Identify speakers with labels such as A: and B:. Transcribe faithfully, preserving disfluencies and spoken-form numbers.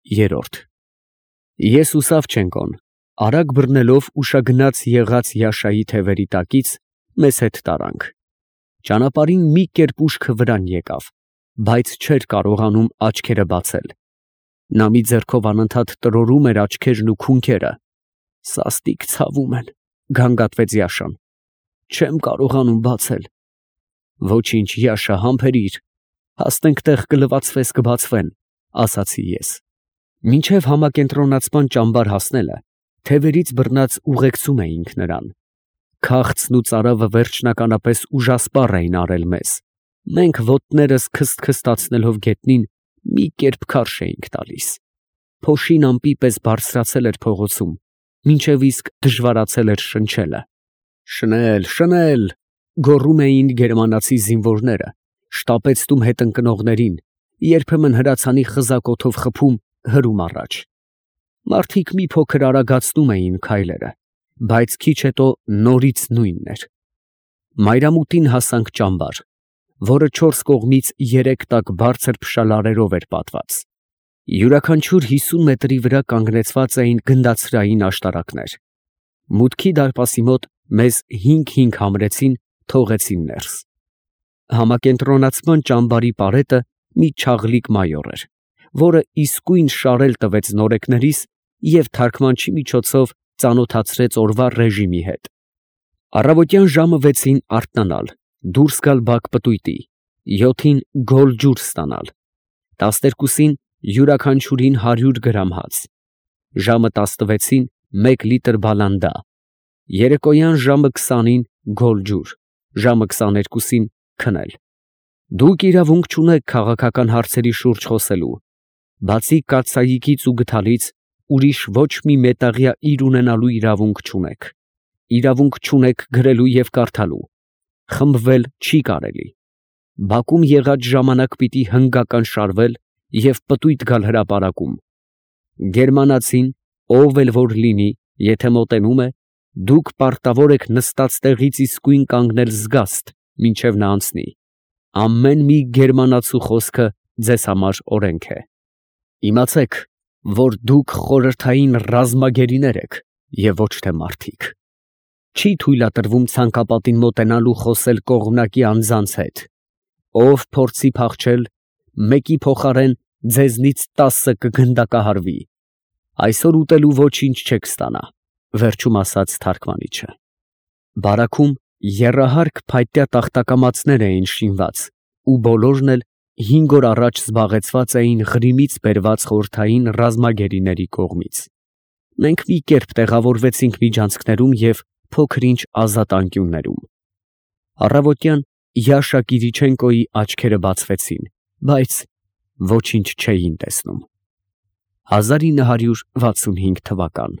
A: Երորդ Ես ու Սավչենկոն, արագ բռնելով ուշագնաց եղած Յաշայի թևերի տակից, մեզ հետ տարանք. ճանապարհին մի կերպ ուշքը վրան եկավ, բայց չէր կարողանում աչքերը բացել. նա մի ձեռքով անընդհատ տրորում էր աչքերն ու քունքերը։ Սաստիկ ցավում են, գանգատվեց Յաշան, չեմ կարողանում բացել։ Ոչինչ, Յաշա, համբերիր, հասնենք տեղ կլվացվես կբացվեն, ասացի ես։ Մինչև համակենտրոնացման ճամբար հասնելը, թևերից բռնած ուղեկցում էինք նրան։ Քաղցն ու ծարավը վերջնականապես ուժասպառ էին արել մեզ։ Մենք ոտներս քսթքստացնելով գետնին, մի կերպ քարշ էինք տալիս։ Փոշին ամպի պես բարձրացել էր փողոցում, մինչև իսկ դժվարացել էր շնչելը։ Շնել, շնել, գոռում էին գերմանացի զինվորները, շտապեցնում հետընկնողներին, երբեմն հրացանի խզակ օդով խփում, հրում առաջ։ Մարդիկ մի փոքր արագացնում էին քայլերը, բայց քիչ հետո նորից նույնն էր։ Մայրամուտին հասանք ճամբար, որը չորս կողմից երեք տակ բարձր փշալարերով էր պատված։ Յուրաքանչյուր հիսուն մետրի վրա կանգնեցված էին գնդացրային աշտարակներ։ Մուտքի դարպասի մոտ մեզ հինգ֊հինգ համրեցին, թողեցին ներս։ Համակենտրոնացման ճամբարի պարետը մի չաղլիկ մայոր էր, որը իսկույն շարել տվեց նորեկներիս և թարգմանչի միջոցով ծանոթացրեց օրվա ռեժիմի հետ։ Առավոտյան ժամը վեցին արթնանալ, դուրս գալ բակ պտույտի, յոթին գոլ ջուր ստանալ, տասներկուսին յուրաքանչյուրին հարյուր գրամ հաց, ժամը տասնվեցին մեկ լիտր բալանդա, երեկոյան ժամը քսանին գոլ ջուր, ժամը քսաներկուսին քնել։ Դուք իրավունք չունեք քաղաքական հարցերի շուրջ խոսելու, բացի կաթսայիկից ու գդալից, ուրիշ ոչ մի մետաղյա իր ունենալու իրավունք չունեք, իրավունք չունեք գրելու և կարդալու, խմբվել չի կարելի, բակում եղած ժամանակ պիտի հնգական շարվել և պտույտ գալ հրապարակում։ Գերմանացին, ով էլ որ լինի, եթե մոտենում է, դուք պարտավոր եք նստած տեղից իսկույն կանգնել զգաստ, մինչև նա անցնի։ Ամեն մի գերմանացու խոսքը ձեզ համար օրենք է։ Իմացեք, որ դուք խորհրդային ռազմագերիներ եք և ոչ թե մարդիկ։ Չի թույլատրվում ցանկապատին մոտենալ ու խոսել կողմնակի անձանց հետ։ Ով փորձի փախչել, մեկի փոխարեն ձեզնից տասը կգնդակահարվի։ Այսօր ուտելու ոչինչ չեք ստանա, վերջում ասաց թարգմանիչը։ Բարաքում եռահարկ փայտյա տախտակամածներ էին շինված, ու բոլորն էլ հինգ օր առաջ զբաղեցված էին Ղրիմից բերված խորհրդային ռազմագերիների կողմից։ Մենք մի կերպ տեղավորվեցինք միջանցքներում և փոքր-ինչ ազատ անկյուններում։ Առավոտյան Յաշա Կիրիչենկոյի աչքերը բացվեցին, բայց ոչինչ չէին տեսնում։ հազար ինը հարյուր վաթսունհինգ թվական։